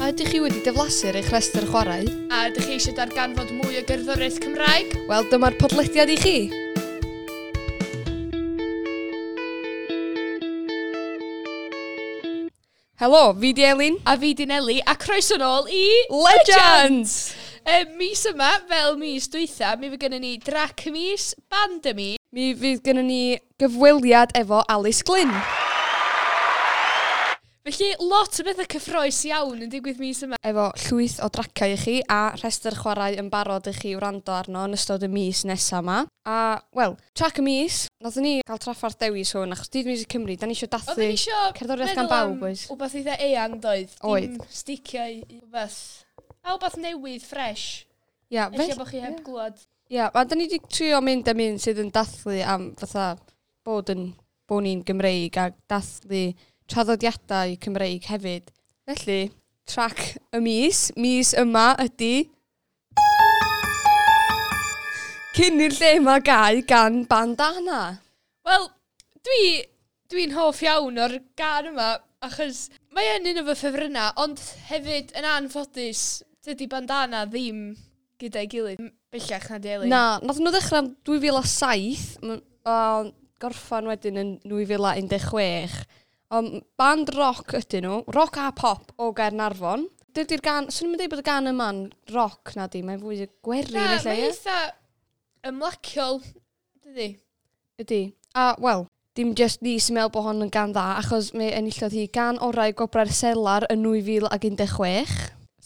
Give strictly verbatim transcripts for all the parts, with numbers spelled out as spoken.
A ydych chi wedi diflasu ar eich rhestr chwarae? A ydych chi eisiau darganfod mwy o gerddoriaeth Cymraeg? Wel, dyma'r podlediad i chi! Helo, fi di Elin. A fi di Neli, a croeso nôl i... Legends! E, mis yma, fel mis dwytha, mi fydd gennym ni drac y mis, band y mis. Mi fydd gennym ni gyfweliad efo Alice Glyn. Felly, lot o bethau cyffrous iawn yn digwydd mis yma. Efo llwyth o draciau i chi a rhestr chwarae yn barod i chi wrando arno yn ystod y mis nesaf yma. A, wel, trac y mis, nathon ni gael traffarth dewis hwn, achos Dydd Miwsig Cymru, da ni eisiau dathlu Oedden ni isio cerddoriaeth gan meddwl bawb, am oes? Wbath eitha eang doedd. Oedd. Dim sticio i wbath. A wbath newydd, fresh. Ia, Ella bod chi heb glwad. Ia, a da ni wedi trio mynd am un sydd yn dathlu am fatha bod yn bod ni'n Gymreig a dathlu traddodiadau Cymreig hefyd. Felly, trac y mis, mis yma ydy Cyn i'r lle yma gau gan Bandana. Wel, dwi, dwi'n hoff iawn o'r gan yma, achos mae yn un o fy ffefrynnau, ond hefyd yn anffodus, dydy Bandana ddim gyda'i gilydd bellach na di Elin. Na, nath nhw ddechrau yn dwy fil a saith, m- a gorffan wedyn yn dwy fil a un deg chwech. Ond band rock ydyn nhw, rock a pop o Gaernarfon. Dydy'r gan, swn i'n dweud bod y gan yma'n rock na di, mae'n fwy o gwerin Na, ella, mae'n ie? eitha ymlaciol, dydy. Ydy. A, wel, dim just ni sy'n meddwl bod hon yn gan dda, achos mi enillodd hi gan orau Gwobrau'r Selar yn nwy fil ag un deg chwech.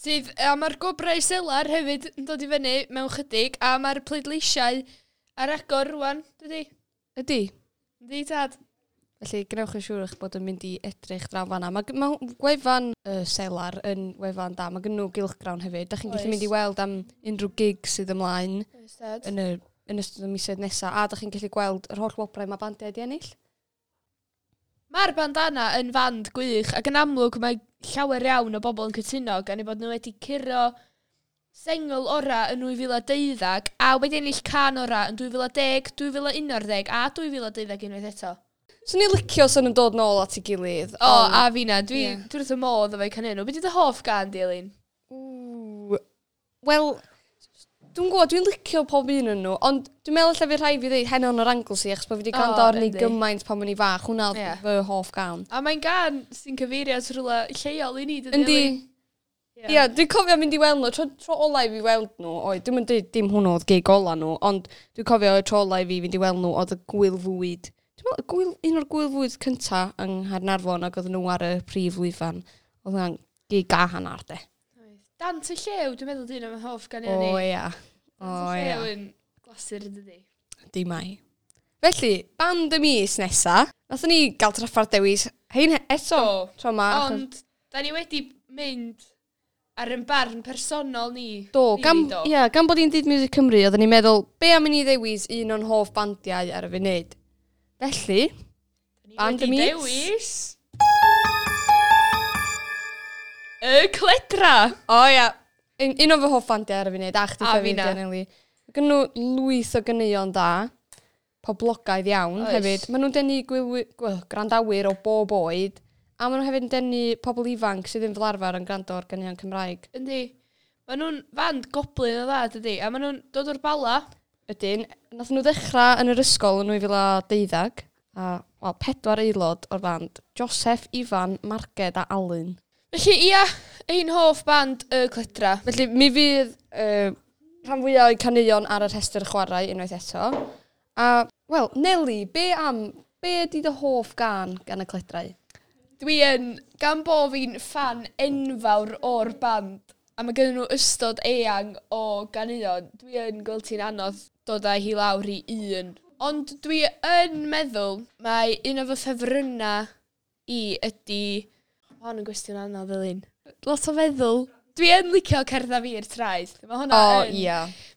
Sydd, a mae'r gwobrau selar hefyd yn dod i fyny mewn chydig, a mae'r pleidleisiau ar agor rwan, dydy. Ydy. Ydy, tad? Felly, gwnewch yn siŵr eich bod yn mynd i edrych draw fanna. Mae, ma gwefan y Selar yn wefan da. Mae gen nhw gylchgrawn hefyd. Da chi'n gallu Oes. mynd i weld am unrhyw gig sydd ymlaen Oes, tad. yn, y, yn ystod y misoedd nesaf. A da chi'n gallu gweld yr holl wobrau mae bandiau wedi ennill. Mae'r Bandana yn fand gwych, ac yn amlwg mae llawer iawn o bobl yn cytuno gan eu bod nhw wedi curo sengl ora yn dwy fil a deuddeg a wedi ennill can ora yn dwy fil a deg, dwy fil a unarddeg a dwy fil a deuddeg unwaith eto. Swn i'n licio swn yn dod nôl at ei gilydd. O, ond- a fi na, dwi, Ie. dwi wrth y modd efo'i canu nhw. Be di dy hoff gan, di, Elin? Ww. Wel, dwi'n gwybod, dwi'n licio pob un yn nhw, ond dwi'n meddwl lle fi rhaid fi ddeud Heno yn yr Anglesey, achos bod fi wedi O, gwrando arni yndi. gymaint pan o'n i fach. Hwna oedd Ie. fy hoff gan. A mae'n gan sy'n cyfeirio at rhywle lleol i ni, dydy, Yndi. Elin? Ie, yeah, dwi'n cofio mynd i weld nhw, tro, tro ola i fi weld nhw, oedd, dwi'n mynd dweud dim hwnnw oedd gig ola nhw, ond dwi'n cofio y tro ola i fi fynd i weld nhw oedd y gwyl fwyd. Dwi'n meddwl, gwyl, un o'r gwyl fwyd cynta yng Nghaernarfon ac oedd nhw ar y prif lwyfan. Oedd hwnna'n gig a hannar de. Dant y Llew, dwi'n meddwl dyn o'n hoff gan i O ni. ia. O Dant y ia. Llew yn glasur yn dydi. Di mai. Felly, band y mis nesa, nathon ni gael traffarth dewis hein eto Do. tro ma. achos- Ond, da ni wedi mynd ar yn barn personol ni. Do, Rili, gan, do. ia, gan bod hi'n Dydd Miwsig Cymru, oedden ni'n meddwl, be am i ni ddewis un o'n hoff bandiau ar y funud? Felly, Ni band y wedi mis. dewis... Y Cledra! o ia, un, un o fy hoff bandiau ar y funud, a chdi A hefyd, finna. Nelly. Mae gen nhw lwyth o ganeuon da, poblogaidd iawn Oes. hefyd. Maen nhw'n denu gwylwy, gwyl, gwrandawyr o bob oed, a maen nhw hefyd yn denu pobl ifanc sydd ddim fel arfer yn gwrando ar ganeuon Cymraeg. Yndi. Maen nhw'n fand goblin o dda, dydi? A maen nhw'n dod o'r Bala. Ydyn, nath nhw ddechrau yn yr ysgol yn nwy fil a deuddeg, a wel, pedwar aelod o'r band, Joseph, Ifan, Marged a Alun. Felly, ia, ein hoff band y Cledra. Felly, mi fydd uh, rhan fwyaf o'i caneuon ar y rhestr chwarae unwaith eto. A, wel, Nelly, be am, be ydy dy hoff gan gan y Cledrau? Dwi yn, gan bo fi'n ffan enfawr o'r band, a mae gen nhw ystod eang o ganeuon, dwi yn gweld ti'n anodd dod â hi lawr i un. Ond dwi yn meddwl mae un o fy ffefrynnau i ydy... Ma' hwn yn gwestiwn anodd, Elin. Lot o feddwl. Dwi yn licio Cerdda Fi i'r Traeth. Mae hwnna O, yn, ia.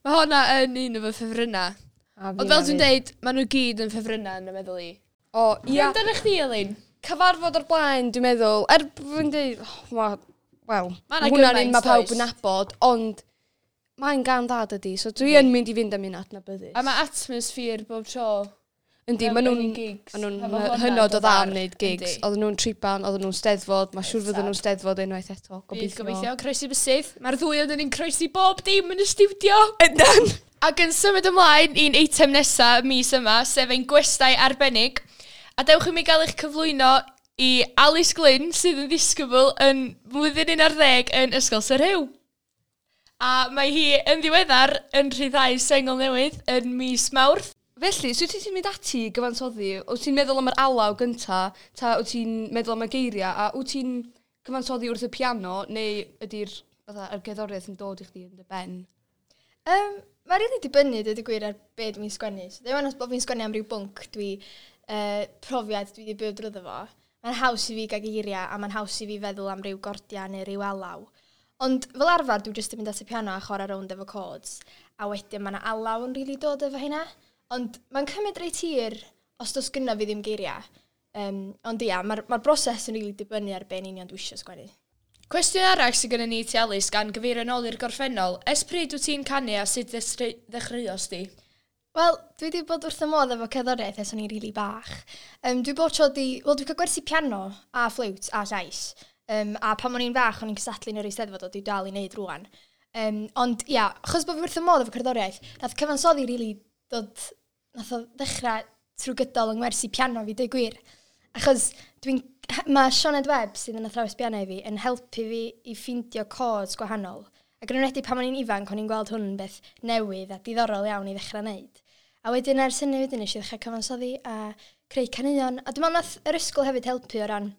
Mae hwnna yn un o fy ffefrynnau. A Ond fel dwi'n deud, maen nhw gyd yn ffefrynnau yn y meddwl i. O, Ie. ia. Amdano chdi, Elin? Cyfarfod o'r blaen, dwi'n meddwl, er fi'n dweud, oh, ma, wel, Ma' 'na ma' hwnna'n gymaint, un mae pawb does? yn nabod, ond mae'n gan dda dydy, so dwi yn mynd i fynd am un adnabyddus. A mae atmosphere bob tro. Yndi, maen nhw'n ma nhw'n hynod o dda am wneud gigs. Oedden nhw'n triban, oedden nhw'n steddfod, mae'n siŵr fydden nhw'n steddfod unwaith eto. Gobeithio. Gobeithio, croesi bysydd. Mae'r ddwy oedden ni'n croesi bob dim yn y stiwdio. Yndan! Ac yn symud ymlaen i'n eitem nesaf mis yma, sef ein gwestai arbennig. A dewch i mi gael eich cyflwyno i Alice Glyn, sydd yn ddisgybl yn flwyddyn un ar ddeg yn Ysgol Sir Huw. A mae hi yn ddiweddar yn rhyddhau sengl newydd yn mis Mawrth. Felly, sut wyt ti'n mynd ati i gyfansoddi? Wyt ti'n meddwl am yr alaw gynta, ta wyt ti'n meddwl am y geiriau, a wyt ti'n cyfansoddi wrth y piano, neu ydy'r fatha, yr gerddoriaeth yn dod i chdi yn dy ben? Um, Mae'n rili dibynnu, dweud y gwir, ar be dwi'n sgwennu. So, ddim ond os bod fi'n sgwennu am ryw bwnc dwi, uh, profiad dwi wedi byw drwyddo fo. Mae'n haws i fi gael geiriau a mae'n haws i fi feddwl am ryw gordiau neu ryw alaw. Ond fel arfer, dwi jyst yn mynd at y piano a chwarae rownd efo chords. A wedyn mae yna alaw yn rili dod efo hynna. Ond mae'n cymryd reit hir os does gynna fi ddim geiriau. Um, ond ia, mae'r ma broses yn rili dibynnu ar be yn union dwi eisiau sgwennu. Cwestiwn arall sydd gennym ni ti, Alice, gan gyfeirio nôl i'r gorffennol. Ers pryd wyt ti'n canu a sut ddechreuodd di? Wel, dwi wedi bod wrth y modd efo cerddoriaeth ers o'n i'n rili bach. Um, dwi bod tro di... Wel, dwi'n cael gwersi piano a ffliwt a llais. Um, a pan o'n i'n fach, o'n i'n cystadlu yn yr Eisteddfod, o dwi dal i wneud rwan. Um, ond ia, achos bod fi wrth y modd efo cerddoriaeth, nath cyfansoddi rili dod... Nath o ddechrau trwy gydol yng ngwersi piano fi, dweud gwir. Achos dwi'n... Mae Sioned Webb, sydd yn athrawes piano i fi, yn helpu fi i ffeindio chords gwahanol. Ac yn enwedig pan o'n i'n ifanc, o'n i'n gweld hwn yn beth newydd a diddorol iawn i ddechrau wneud. A wedyn ers hynny wedyn nes i ddechrau cyfansoddi a creu caneuon. A dwi'n meddwl nath yr ysgol hefyd helpu o ran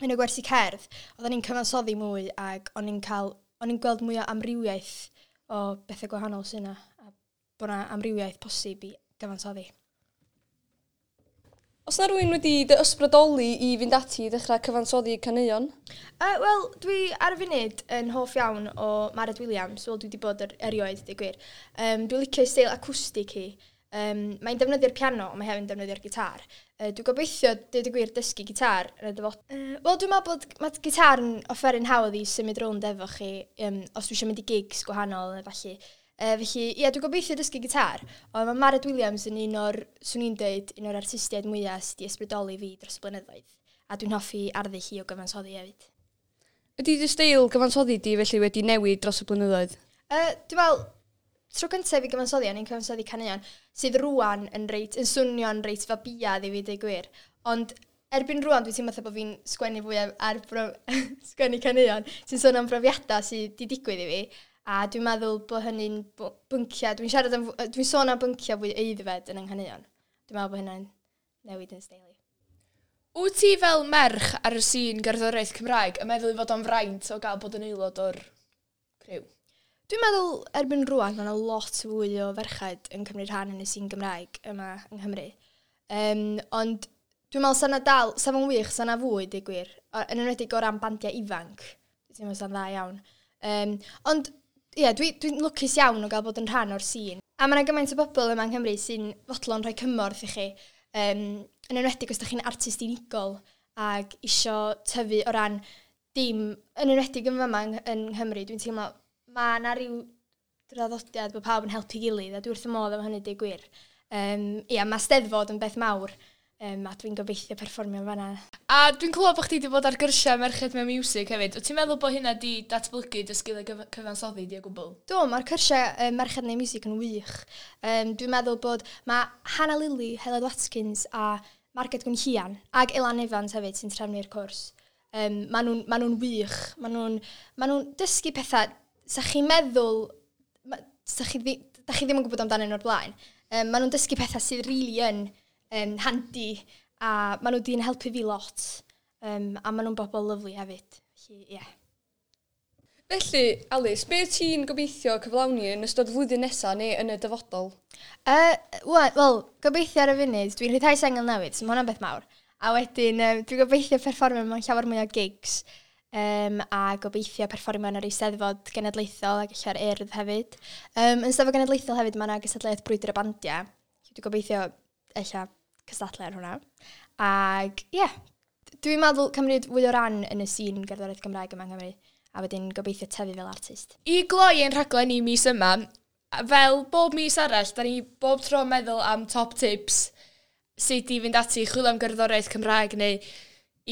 yn y gwersi cerdd. Oedden ni'n cyfansoddi mwy ac o'n i'n cael, o'n i'n gweld mwy o amrywiaeth o bethau gwahanol sy'n yna. A bod yna amrywiaeth posib i gyfansoddi. Os na rhywun wedi dy ysbrydoli i fynd ati i ddechrau cyfansoddi caneuon? Uh, Wel, dwi ar y funud yn hoff iawn o Mared Williams. Wel, dwi wedi bod er, erioed, dweud gwir. Um, dwi'n licio steil acwstig hi. Um, mae'n defnyddio'r piano, ond mae hefyd yn defnyddio'r gitar. Uh, dwi'n gobeithio, dweud y gwir, dysgu gitar yn y dyfodol. Uh, Wel, dwi'n meddwl bod mae gitar yn offeryn hawdd i symud rownd efo chi, um, os dwi eisiau mynd i gigs gwahanol, felly. Uh, felly, ie, dwi'n gobeithio dysgu gitar, ond mae Mared Williams yn un o'r, swn i'n dweud, un o'r artistiaid mwyaf sydd wedi ysbrydoli fi dros y blynyddoedd. A dwi'n hoffi arddull hi o gyfansoddi hefyd. Ydy dy steil gyfansoddi di felly wedi newid dros y blynyddoedd? Uh, dwi'n meddwl, tro cyntaf i gyfansoddi, o'n i'n cyfansoddi caneuon sydd rwan yn reit, yn swnio'n reit fabiad i fi, dweud gwir. Ond erbyn rwan dwi'n teimlo fatha bod fi'n sgwennu fwy ar bro sgwennu caneuon sy'n sôn am brofiadau sydd wedi digwydd i fi. A dwi'n meddwl bod hynny'n bynciau, dwi'n siarad am, dwi'n sôn am bynciau fwy aeddfed yn yng nghaneuon. Dwi'n meddwl bod hynny'n newid yn steil i. Wyt ti fel merch ar y sîn gerddoriaeth Cymraeg yn meddwl i fod o'n fraint o gael bod yn aelod o'r criw? Dwi'n meddwl erbyn rwan mae yna lot fwy o ferched yn cymryd rhan yn y sîn Gymraeg yma yng Nghymru. Um, ond dwi'n meddwl sa 'na dal, sa fo'n wych, sa 'na fwy, deud gwir. Yn enwedig o ran bandiau ifanc, dwi'n meddwl sa'n dda iawn. Um, ond ie, yeah, dwi'n dwi lwcus iawn o gael bod yn rhan o'r sîn. A mae yna gymaint o bobl yma yng Nghymru sy'n fodlon rhoi cymorth i chi. Um, yn enwedig os ydych chi'n artist unigol ac isio tyfu o ran dim, yn enwedig yn fama yng, yng Nghymru, dwi'n teimlo mae yna rhyw draddodiad bod pawb yn helpu gilydd a dwi wrth y modd am hynny, deud gwir. Um, ia, mae Steddfod yn beth mawr um, a dwi'n gobeithio perfformio fanna. A dwi'n clywed bod chdi wedi bod ar gyrsiau Merched Mewn Miwsig hefyd. Wyt ti'n meddwl bod hynna di datblygu dy sgiliau gyf cyfansoddi di o gwbl? Do, mae'r cyrsiau um, Merched Mewn Miwsig yn wych. Um, dwi'n meddwl bod mae Hannah Lily, Heledd Watkins a Marged Gwenllian ac Elan Evans hefyd sy'n trefnu'r cwrs. Um, maen nhw'n ma nhw wych. Maen nhw'n ma nhw dysgu pethau sa chi'n meddwl, ma, sa chi, ddi, da chi ddim yn gwybod amdanyn nhw'r blaen. Um, maen nhw'n dysgu pethau sydd rili yn um, handi a maen nhw di'n helpu fi lot. Um, a maen nhw'n bobl lyfli hefyd. Felly, ie. Yeah. Felly, Alice, be ti'n gobeithio cyflawni yn ystod flwyddyn nesaf neu yn y dyfodol? Uh, Wel, gobeithio ar y funud, dwi'n rhyddhau sengl newydd, so mae hwnna'n beth mawr. A wedyn, um, dwi'n gobeithio perfformio mewn llawer mwy o gigs. Um, a gobeithio perfformio yn yr Eisteddfod Genedlaethol ac ella'r Urdd hefyd. Um, yn Eisteddfod Genedlaethol hefyd mae yna gystadleuaeth Brwydr y Bandiau. Dwi'n gobeithio ella cystadlu ar hwnna. Ac ie, yeah, dwi'n meddwl cymryd fwy o ran yn y sîn gerddoriaeth Gymraeg yma yng Nghymru. A wedyn gobeithio tyfu fel artist. I gloi ein rhaglen ni mis yma, fel bob mis arall, da ni bob tro meddwl am top tips. sut i fynd ati i chwilio am gerddoriaeth Cymraeg neu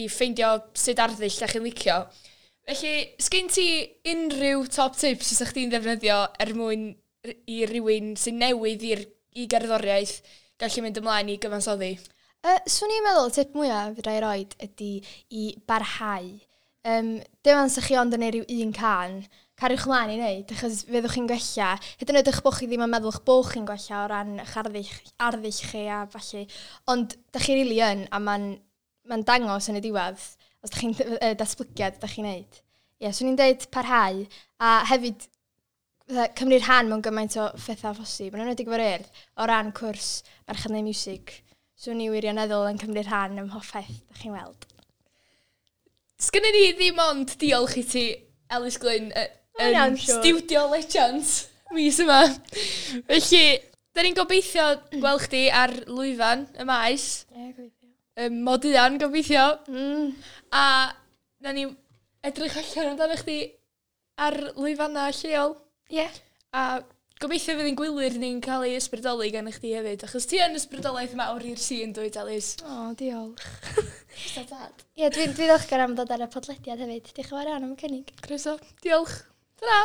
i ffeindio sut arddull da chi'n licio. Felly, sgyn ti unrhyw top tips fysa chdi'n ddefnyddio er mwyn r- i rywun sy'n newydd i'r, i gerddoriaeth gallu mynd ymlaen i gyfansoddi? Uh, swn i'n meddwl, y tip mwyaf fedra i roid ydy i barhau. Um, dim ond sa chi ond yn neud rhyw un cân, cariwch ymlaen i wneud, achos fyddwch chi'n gwella. Hyd yn oed eich bod chi ddim yn meddwl eich bod chi'n gwella o ran eich arddull, arddull chi a falle. Ond da chi rili yn, a mae'n ma dangos yn y diwedd, os da chi'n uh, datblygiad da chi'n neud. Ie, yeah, swn i'n deud parhau, a hefyd fatha, cymryd rhan mewn gymaint o phethau phosib. Yn enwedig efo'r Urdd, o ran cwrs Merched Neud Miwsig. Swn i wirioneddol yn cymryd rhan ym mhopeth da chi'n weld. Sgynny ni ddim ond diolch i ti, Elis Glyn, y- Ma' yn hynna'n siŵr. Studio Legends mis yma. Felly, da ni'n gobeithio gweld chdi ar lwyfan y maes, Ie, gobeithio. um, moduan gobeithio, Mm. a na ni edrych allan amdano chdi ar lwyfannau lleol. Ie. A gobeithio fydd ein gwylwyr ni'n cael ei ysbrydoli gan chdi hefyd, achos ti yn ysbrydoliaeth mawr i'r sîn, dwyt, Elis? O, diolch. Dad. Ie, dwi'n dwi ddiolchgar am ddod ar y podlediad hefyd. Diolch yn fawr iawn am y cynnig. Croeso. Diolch. Ta-ra.